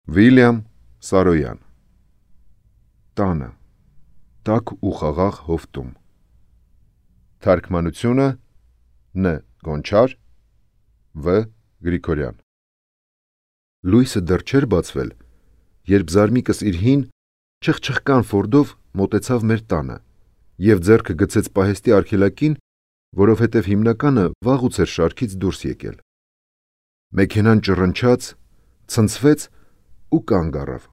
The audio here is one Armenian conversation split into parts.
Վիլյամ Սարոյան Տանը տաք ու խաղաղ հովտում Թարգմանությունը Ն. Գոնչար Վ. Գրիգորյան Լույսը դեռ չէր բացվել, երբ Զարմիկս իր հին չխչխկան ֆորդով մոտեցավ մեր տանը և ձեռքը գցեց պահեստի արգելակին, որովհետև հիմնականը վաղուց էր շարքից դուրս եկել։ Մեքենան ճռնչաց, ցնցվեց ու կանգ առավ։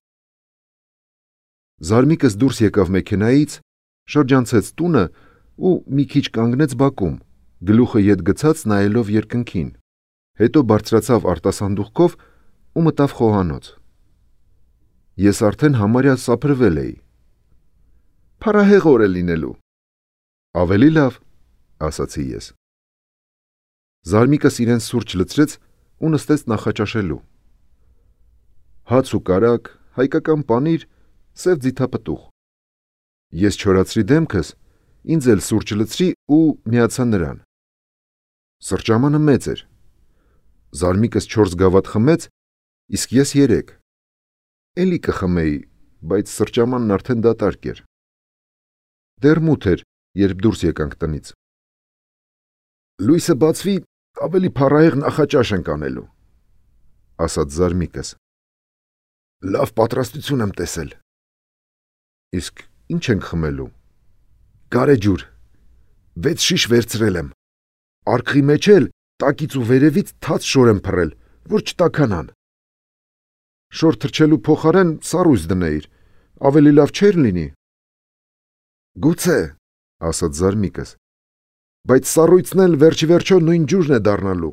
Զարմիկս դուրս եկավ մեքենայից, շրջանցեց տունը ու մի քիչ կանգնեց բակում, գլուխը ետ գցած նայելով երկնքին, հետո բարձրացավ արտասանդուղքով ու մտավ խոհանոց։ Ես արդեն համարյա սափրվել էի։ Փարահեղ օր է լինելու։ Ավելի լավ, ասացի ես։ Զարմիկս իրեն սուրճ լցրեց ու նստեց նախաճաշելու։ Հաց ու կարագ, հայկական պանիր, սև ձիթապտուղ։ Ես չորացրի դեմքս, ինձ էլ սուրճ լցրի ու միացա նրան։ Սրճամանը մեծ էր։ Զարմիկս 4 գավաթ խմեց, իսկ ես 3։ Էլի կխմեի, բայց սրճամանն արդեն դատարկ էր։ Դեռ մութ էր, երբ դուրս եկանք տնից։ Լույսը բացվի, ավելի փառահեղ նախաճաշ ենք անելու, ասաց Զարմիկս։ Լավ պատրաստություն եմ տեսել։ Իսկ ինչ ենք խմելու։ Գարեջուր, 6 շիշ վերցրել եմ։ Արկղի մեջ էլ տակից ու վերևից թաց շոր եմ փռել, որ չտաքանան։ Շոր թրջելու փոխարեն սառույց դնեիր, ավելի լավ չէր լինի։ Գուցե, ասաց Զարմիկս, բայց սառույցն էլ վերջի վերջո նույն ջուրն է դառնալու։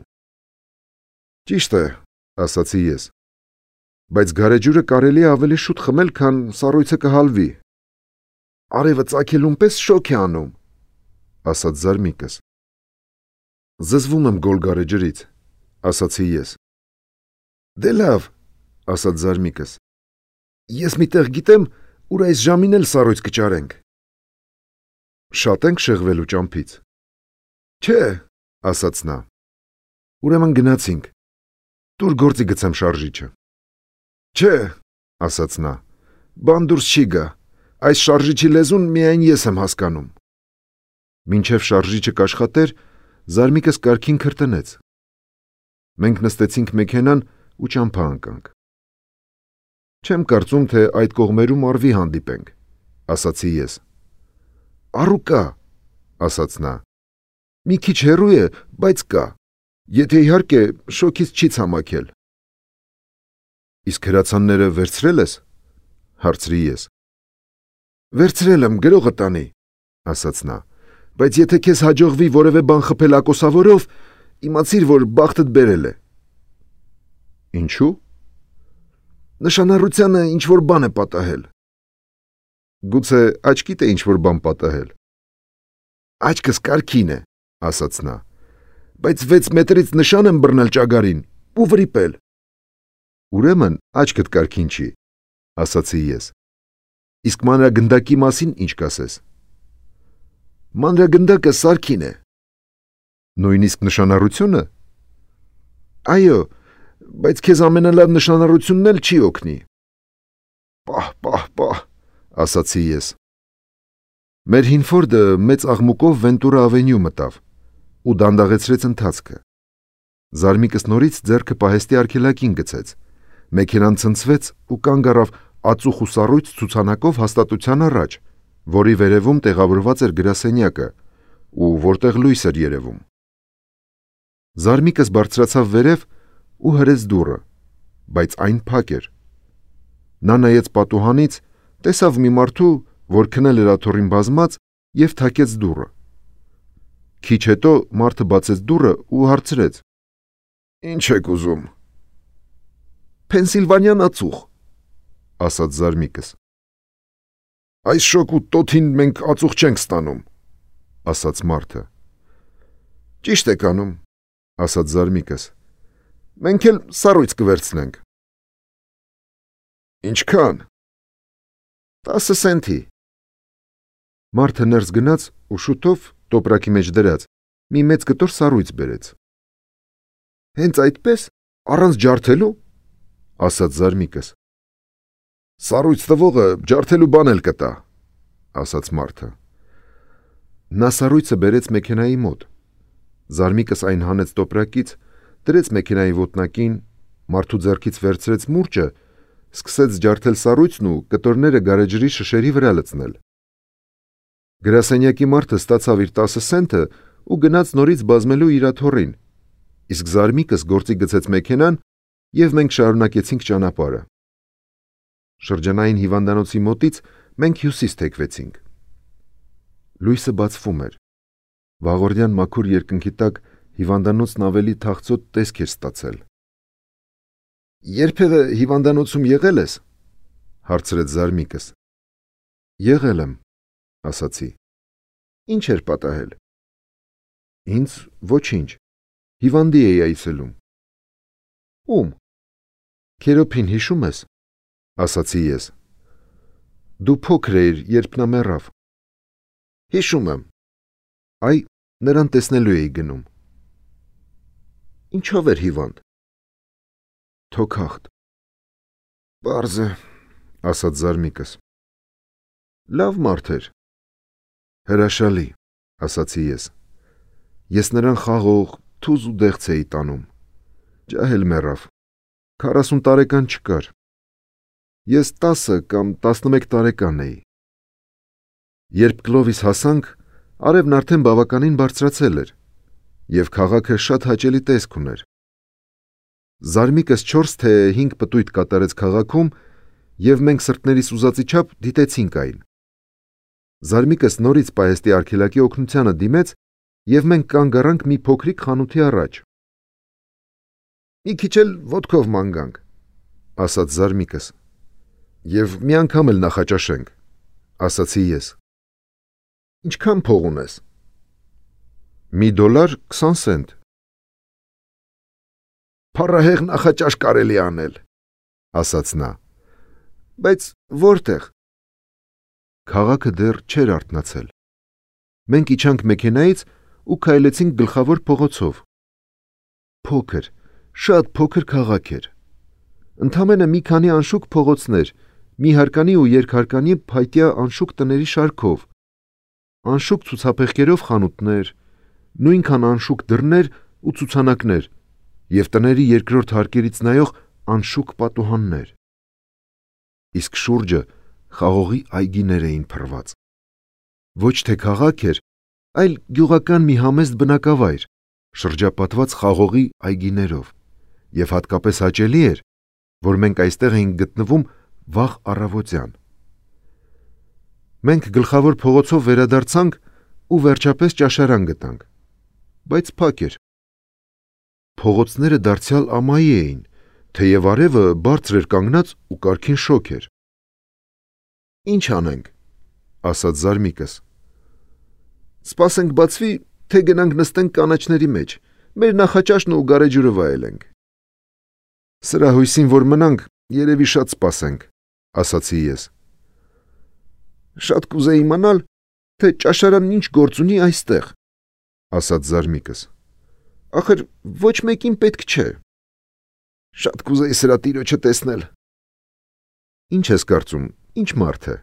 Ճիշտ է, ասացի ես, բայց գարեջուրը կարելի է ավելի շուտ խմել, քան սառույցը կհալվի։ Արևը ծագելուն պես շոգ է անում, ասաց Զարմիկս։ Զզվում եմ գոլ գարեջրից, ասացի ես։ Դե լավ, ասաց Զարմիկս։ Ես մի տեղ գիտեմ, ուր այս ժամին էլ սառույց կճարենք։ Շատ ենք շեղվելու ճամփից։ Չէ, ասաց նա։ Ուրեմն գնացինք։ Տուր գործի գցեմ շարժիչը։ Չէ, ասաց նա, բան դուրս չի գա, այս շարժիչի լեզուն միայն ես եմ հասկանում։ Մինչև շարժիչը կաշխատեր, Զարմիկս կարգին քրտնեց։ Մենք նստեցինք մեքենան ու ճամփա ընկանք։ Չեմ կարծում, թե այդ կողմերում արվի հանդիպենք, ասացի ես։ Առու կա, ասաց նա։ Մի քիչ հեռու է, բայց կա, եթե իհարկե շոգից չի ցամաքել։ Իսկ հրացանները վերցրել ես, հարցրի ես։ Վերցրել եմ, գրողը տանի, ասաց նա, բայց եթե քեզ հաջողվի որևէ բան խփել ակոսավորով, իմացիր, որ բախտդ բերել է։ Ինչու։ Նշանառությանը ինչ-որ բան է պատահել։ Գուցե աչքիդ է ինչ-որ բան պատահել։ Աչքս կարգին է, ասաց նա, բայց 6 մետրից նշան եմ բռնել ճագարին ու վրիպել։ Ուրեմն աչքդ կարգին չի, ասացի ես։ Իսկ մանրագնդակի մասին ինչ կասես։ Մանրագնդակը սարքին է։ Նույնիսկ նշանառությունը։ Այո, բայց քեզ ամենալավ նշանառությունն էլ չի օգնի։ Պահ, ասացի ես։ Մեր հին ֆորդը մեծ աղմուկով Վենտուրա ավենյու մտավ ու դանդաղեցրեց ընթացքը։ Զարմիկս նորից ձեռքը պահեստի արգելակին գցեց։ Մեքենան ցնցվեց ու կանգ առավ ածուխ ու սառույց ցուցանակով հաստատության առաջ, որի վերևում տեղավորված էր գրասենյակը ու որտեղ լույս էր երևում։ Զարմիկս բարձրացավ վերև ու հրեց դուռը, բայց այն փակ էր։ Նա նայեց պատուհանից, տեսավ մի մարդու, որ քնել էր աթոռին բազմած և թակեց դուռը։ Քիչ հետո մարդը բացեց դուռը ու հարցրեց. Ինչ եք ուզում։ Փենսիլվանյան ածուխ, ասաց Զարմիկս։ Այս շոգ ու տոթին մենք ածուխ չենք ստանում, ասաց մարդը։ Ճիշտ եք անում, ասաց Զարմիկս։ Մենք էլ սառույց կվերցնենք։ Ինչքան։ 10 սենթի։ Մարդը ներս գնաց ու շուտով տոպրակի մեջ դրած մի մեծ կտոր սառույց բերեց։ Հենց այդպես, առանց ջարդելու, ասաց Զարմիկս։ Սառույց տվողը ջարդելու բան էլ կտա, ասաց մարդը։ Նա սառույցը բերեց մեքենայի մոտ։ Զարմիկս այն հանեց տոպրակից, դրեց մեքենայի ոտնակին, մարդու ձեռքից վերցրեց մուրճը, սկսեց ջարդել սառույցն ու կտորները գարեջրի շշերի վրա լցնել։ Գրասենյակի մարդը ստացավ իր 10 սենթը ու գնաց նորից բազմելու իր աթոռին, իսկ Զարմիկս գործի գցեց մեքենան և մենք շարունակեցինք ճանապարհը։ Շրջանային հիվանդանոցի մոտից մենք հյուսիս թեքվեցինք։ Լույսը բացվում էր։ Վաղորդյան մաքուր երկնքի տակ հիվանդանոցն ավելի թախծոտ տեսք էր ստացել։ Երբևէ հիվանդանոցում եղել ես, հարցրեց Զարմիկս։ Եղել եմ, ասացի։ Ինչ էր պատահել։ Ինձ ոչինչ, հիվանդի էի այցելում։ Ում։ Քերոփին հիշում ես, ասացի ես։ Դու փոքր էիր, երբ նա մեռավ։ Հիշում եմ։ Այ, նրան տեսնելու էի գնում։ Ինչով էր հիվանդ։ Թոքախտ։ Պարզ է, ասաց Զարմիկս։ Լավ մարդ էր։ Հրաշալի, ասացի ես։ Ես նրան խաղող, թուզ ու դեղց էի տանում։ Ջահել մեռավ։ 40 տարեկան չկար։ Ես 10 կամ 11 տարեկան էի։ Երբ Կլովիս հասանք, արևն արդեն բավականին բարձրացել էր, և քաղաքը շատ հաճելի տեսք ուներ։ Զարմիկս 4 թե 5 պտույտ կատարեց քաղաքում, և մենք սրտներիս ուզածի չափ դիտեցինք այն։ Զարմիկս նորից պահեստի արգելակի օգնությանը դիմեց, և մենք կանգ առանք մի փոքրիկ խանութի առաջ։ Մի քիչ էլ ոտքով ման գանք, ասաց Զարմիկս։ Եվ մի անգամ էլ նախաճաշենք, ասացի ես։ Ինչքան փող ունես։ $1.20 սենտ։ Փառահեղ նախաճաշ կարելի անել, ասաց նա։ Բայց որտեղ։ Քաղաքը դեռ չէր արթնացել։ Մենք իջանք մեքենայից ու քայլեցինք գլխավոր փողոցով։ Փոքր, շատ փոքր քաղաք էր։ Ընդամենը մի քանի անշուք փողոցներ, մի հարկանի ու երկհարկանի փայտյա անշուք տների շարքով, անշուք ցուցափեղկերով խանութներ, նույնքան անշուք դռներ ու ցուցանակներ և տների երկրորդ հարկերից նայող անշուք պատուհաններ։ Իսկ շուրջը խաղողի այգիներ էին փռված։ Ոչ թե քաղաք էր, այլ գյուղական մի համեստ բնակավայր, շրջապատված խաղողի այգիներով, և հատկապես հաճելի էր, որ մենք այստեղ էինք գտնվում վաղ առավոտյան։ Մենք գլխավոր փողոցով վերադարձանք ու վերջապես ճաշարան գտանք, բայց փակ էր։ Փողոցները դարձյալ ամայի էին, թեև արևը բարձր էր կանգնած ու կարգին շոգ էր։ Ինչ անենք, ասաց Զարմիկս։ Սպասենք բացվի, թե գնանք նստենք կանաչների մեջ, մեր նախաճաշն ու գարեջուրը վայելենք։ Սրա հույսին, որ մնանք, երևի շատ սպասենք, ասացի ես։ Շատ կուզեի իմանալ, թե ճաշարանն ինչ գործ ունի այստեղ, ասաց Զարմիկս։ Ախր ոչ մեկին պետք չէ։ Շատ կուզեի սրա տիրոջը տեսնել։ Ինչ ես կարծում, ինչ մարդ է։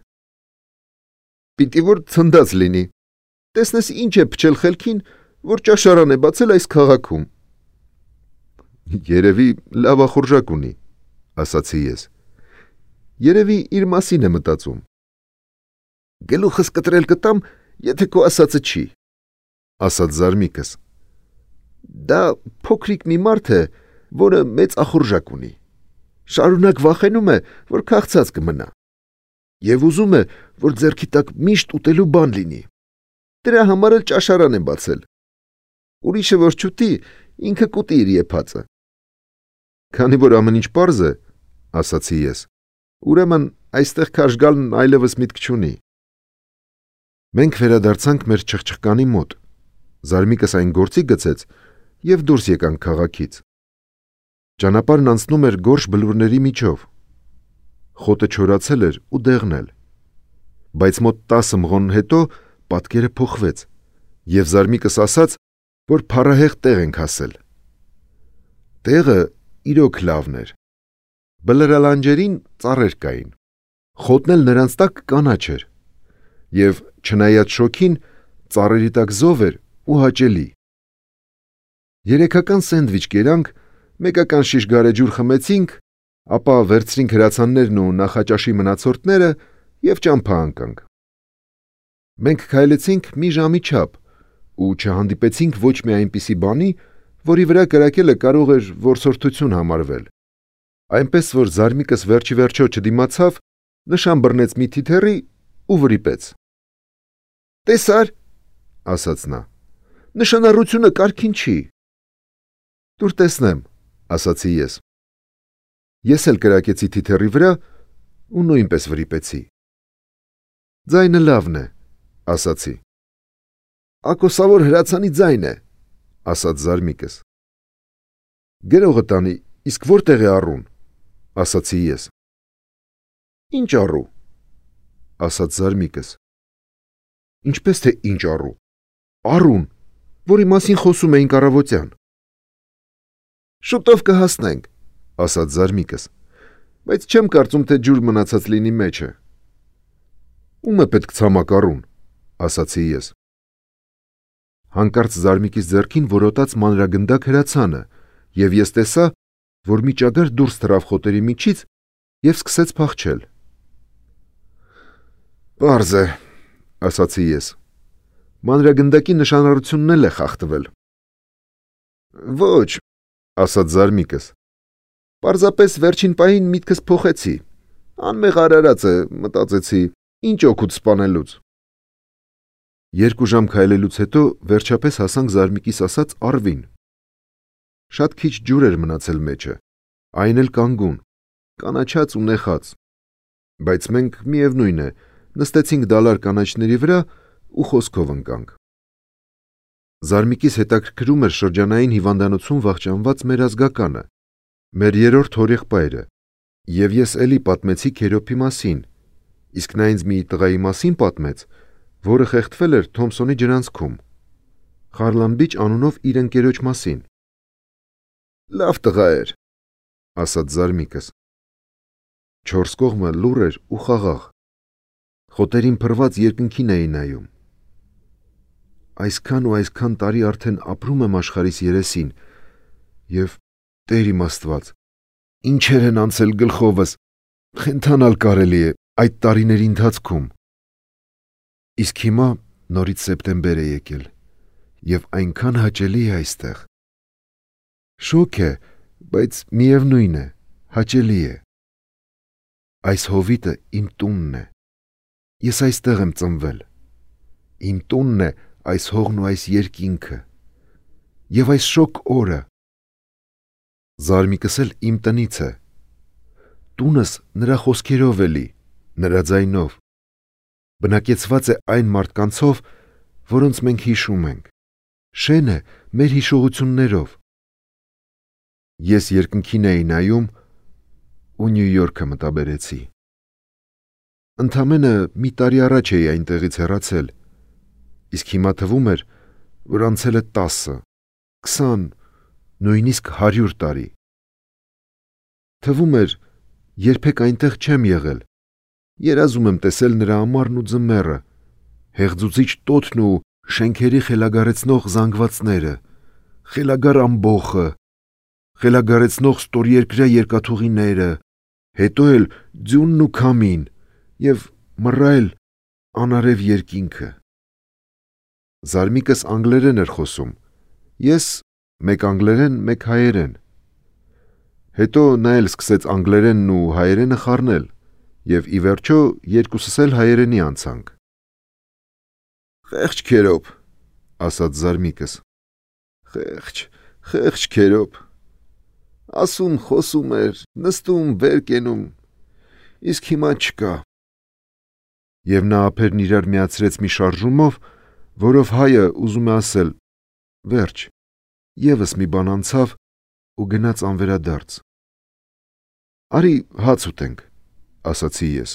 Պիտի որ ցնդած լինի։ Տեսնես ինչ է փչել խելքին, որ ճաշարան է բացել այս քաղաքում։ Երևի լավախորժակ ունի, ասացի ես։ Երևի իր մասին է մտածում։ Գլուխս կտրել կտամ, եթե քո ասածը չի, ասաց Զարմիկս։ Դա փոքրիկ մի մարդ է, որը մեծ ախորժակ ունի։ Շարունակ վախենում է, որ քաղցած կմնա։ Եվ ուզում է, որ ձեռքի տակ միշտ ուտելու բան լինի։ Դրա համար էլ ճաշարան է բացել։ Ուրիշը որ չուտի, ինքը կուտի իր եփածը։ Քանի որ ամեն ինչ պարզ է, ասացի ես, ուրեմն այստեղ քարշ գալն այլևս միտք չունի։ Մենք վերադարձանք մեր չղջղկանի մոտ։ Զարմիկս այն գործի գցեց և դուրս եկանք քաղաքից։ Ճանապարհն անցնում էր գորշ բլուրների միջով։ Խոտը չորացել էր ու դեղնել։ Բայց մոտ 10 մղոն հետո պատկերը փոխվեց, և Զարմիկս ասաց, որ փառահեղ տեղ ենք հասել։ Տեղը իրոք լավն էր։ Բլրալանջերին ծառեր կային։ Խոտն էլ նրանց տակ կանաչ էր, եւ չնայած շոքին, ծառերի տակ զով էր ու հաճելի։ Երեքական սենդվիչ կերանք, մեկական շիշ գարեջուր խմեցինք, ապա վերցրինք հրացաններն ու նախաճաշի մնացորդները եւ ճամփա անկանք։ Մենք քայլեցինք մի ժամի չափ ու չհանդիպեցինք ոչ մի այնպիսի բանի, որի վրա կրակելը կարող էր որսորդություն համարվել։ Այնպես որ Զարմիկս վերջի վերջո չդիմացավ, նշան բռնեց մի թիթեռի ու վրիպեց։ «Տեսար», ասաց նա, «նշանառությունը կարգին չի»։ «Տուր տեսնեմ», ասացի ես։ Ես էլ կրակեցի թիթեռի վրա ու նույնպես վրիպեցի։ «Ձայնը լավն է», ասացի։ «Ակոսավոր հրացանի ձայն է», ասաց Զարմիկս։ «Գրողը տանի, իսկ որտեղ է առուն», ասացի ես։ «Ինչ առու», ասաց Զարմիկս։ «Ինչպես թե ինչ առու, առուն, որի մասին խոսում էինք առավոտյան»։ «Շուտով կհասնենք», ասաց Զարմիկս, «բայց չեմ կարծում, թե ջուր մնացած լինի մեջը»։ «Ում է պետք ցամաք առուն», ասացի ես։ Հանկարծ Զարմիկիս ձեռքին որոտաց մանրագնդակ հրացանը, եւ ես տեսա, որ մի ճագար դուրս թռավ խոտերի միջից եւ սկսեց փախչել։ «Պարզ է», ասացի ես։ «Մանրագնդակի նշանառությունն էլ է խախտվել»։ «Ոչ», ասաց Զարմիկս։ «Պարզապես վերջին պահին միտքս փոխեցի։ Անմեղ արարած է, մտածեցի, ինչ օգուտ սպանելուց»։ 2 ժամ քայլելուց հետո վերջապես հասանք Զարմիկիս ասած առվին։ Շատ քիչ ջուր էր մնացել մեջը, այն էլ կանգուն, կանաչած ու նեխած, բայց մենք միևնույն է, նստեցինք դալար կանաչների վրա ու խոսքով ընկանք։ Զարմիկիս հետաքրքրում էր շրջանային հիվանդանոցում վախճանված մեր ազգականը, մեր 3-րդ հորեղբայրը, եւ ես էլի պատմեցի Քերոփի մասին, իսկ նա ինձ մի տղայի մասին պատմեց, որը խեղդվել էր Թոմսոնի ջրանցքում, Խարլամբիչ անունով իր ընկերոջ մասին։ «Լավ տղա էր», ասաց Զարմիկս։ 4 կողմը լուռ էր ու խաղաղ։ Խոտերին փռված երկնքին էի նայում։ Այսքան ու այսքան տարի արդեն ապրում եմ աշխարհիս երեսին, եւ Տեր իմ Աստված, ինչեր են անցել գլխովս, խենթանալ կարելի է այդ տարիների ընթացքում։ Իսկ հիմա նորից սեպտեմբեր է եկել, եւ այնքան հաճելի է այստեղ։ Շոկ է, բայց միևնույն է, հաճելի է։ Այս հովիտը իմ տունն է։ Ես այստեղ եմ ծնվել։ Իմ տունն է այս հողն ու այս երկինքը։ Եվ այս շոկ օրը։ Զարմիկս էլ իմ տնից է։ Տունս նրա խոսքերով էլի, նրա ձայնով։ Բնակեցված է այն մարդկանցով, որոնց մենք հիշում ենք։ Շեն է մեր հիշողություններով։ Ես երկնքին էի նայում ու Նյու Յորքը մտաբերեցի։ Ընդամենը մի տարի առաջ էի այնտեղից հեռացել, իսկ հիմա թվում էր, որ անցել է 10, 20, նույնիսկ 100 տարի։ Թվում էր, երբեք այնտեղ չեմ եղել։ Երազում եմ տեսել նրա ամառն ու ձմեռը, հեղձուցիչ տոթն ու շենքերի խելագարեցնող զանգվածները, խելագար ամբոխը, խելագարեցնող ստորերկրյա երկաթուղիները, հետո էլ ձյունն ու քամին եւ մռայլ անարև երկինքը։ Զարմիկս անգլերեն էր խոսում, ես մեկ անգլերեն, մեկ հայերեն։ Հետո նա էլ սկսեց անգլերենն ու հայերենը խառնել, եւ ի վերջո երկուսս էլ հայերենի անցանք։ «Խեղճ Քերոփ», ասաց Զարմիկս։ Խեղճ Քերոփ։ Ասում, խոսում էր, նստում, վեր կենում, իսկ հիմա չկա։ Եվ նա ափերն իրար միացրեց մի շարժումով, որով հայը ուզում է ասել. վերջ, եւս մի բան անցավ ու գնաց անվերադարձ։ «Արի հաց ուտենք», ասացի ես։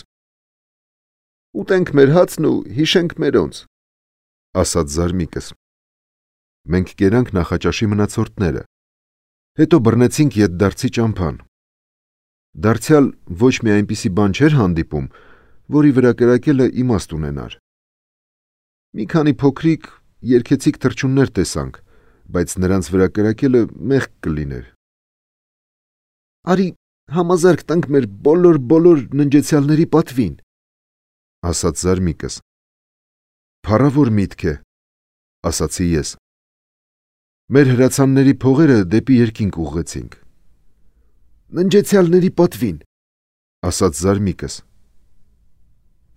«Ուտենք մեր հացն ու հիշենք մերոնց», ասաց Զարմիկս։ Մենք կերանք նախաճաշի մնացորդները։ Հետո բռնեցինք ետդարձի ճամփան։ Դարձյալ ոչ մի այնպիսի բան չէր հանդիպում, որի վրա կրակելը իմաստ ունենար։ Մի քանի փոքրիկ, երգեցիկ թռչուններ տեսանք, բայց նրանց վրա կրակելը մեղք կլիներ։ Արի համազարկ տանք մեր բոլոր ննջեցյալների պատվին, ասաց Զարմիկս։ Փառավոր միտք է, ասացի ես։ Մեր հրացանների փողերը դեպի երկինք ուղղեցինք։ Ննջեցյալների պատվին, ասաց Զարմիկս։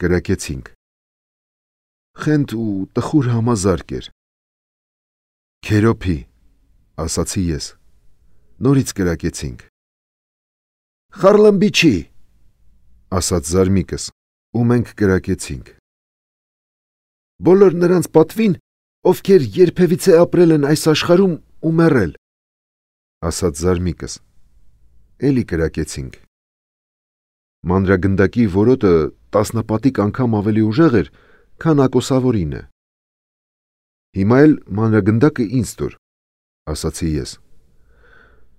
Կրակեցինք։ Խենթ ու տխուր համազարկ էր։ Քերոփի, ասացի ես։ Նորից կրակեցինք։ Խարլամբիչի, ասաց Զարմիկս, ու մենք կրակեցինք։ Բոլոր նրանց պատվին, ովքեր երբևիցե ապրել են այս աշխարհում ու մեռել, ասաց Զարմիկս։ Էլի կրակեցինք։ Մանրագնդակի որոտը տասնապատիկ անգամ ավելի ուժեղ էր, քան ակոսավորինը։ Հիմա էլ մանրագնդակը ինձ տուր, ասացի ես։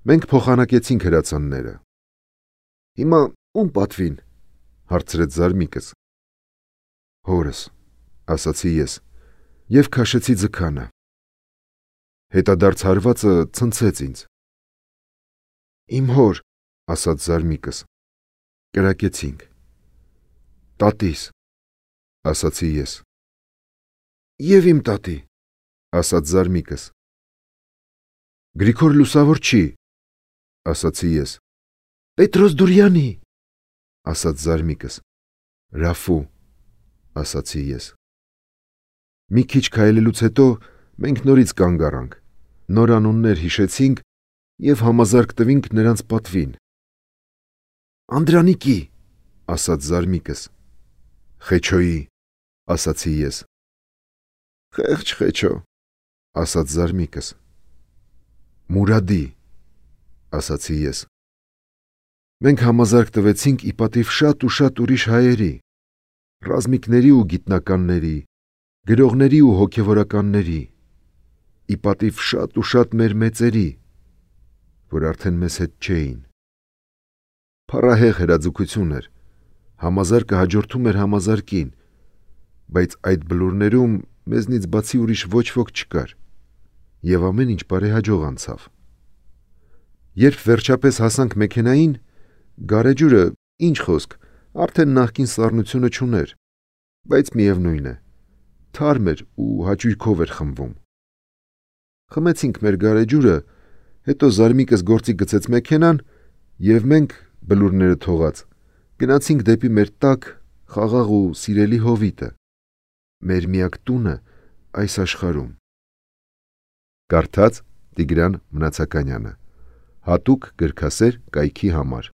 Մենք փոխանակեցինք հրացանները։ Հիմա ում պատվին, հարցրեց Զարմիկս։ Հորս, ասացի ես, և քաշեցի ձգանը։ Հետադարձ հարվածը ցնցեց ինձ։ Իմ հոր, ասաց Զարմիկս։ Կրակեցինք։ Տատիս, ասացի ես։ Եվ իմ տատի, ասաց Զարմիկս։ Գրիգոր Լուսավորչի, ասացի ես։ Պետրոս Դուրյանի, ասաց Զարմիկս։ Ռաֆու, ասացի ես։ Մի քիչ քայլելուց հետո մենք նորից կանգ առանք, նոր անուններ հիշեցինք և համազարկ տվինք նրանց պատվին։ Անդրանիկի, ասաց Զարմիկս։ Խեչոյի, ասացի ես։ Խեղճ Խեչո, ասաց Զարմիկս։ Մուրադի, ասացի ես։ Մենք համազարկ տվեցինք ի պատիվ շատ ու շատ ուրիշ հայերի, ռազմիկների ու գիտնականների, գրողների ու հոգևորականների, ի պատիվ շատ ու շատ մեր մեծերի, որ արդեն մեզ հետ չէին։ Փառահեղ հրաձգություն էր, համազարկը հաջորդում էր համազարկին, բայց այդ բլուրներում մեզնից բացի ուրիշ ոչ ոք չկար, և ամեն ինչ բարեհաջող անցավ։ Երբ վերջապես հասանք մեքենային, գարեջուրը, ինչ խոսք, արդեն նախկին սառնությունը չուներ, բայց միևնույն է, թարմ էր ու հաճույքով էր խմվում։ Խմեցինք մեր գարեջուրը, հետո Զարմիկս գործի գցեց մեքենան, և մենք, բլուրները թողած, գնացինք դեպի մեր տաք, խաղաղ ու սիրելի հովիտը, մեր միակ տունը այս աշխարհում։ Կարդաց Տիգրան Մնացականյանը, հատուկ գրքասեր կայքի համար։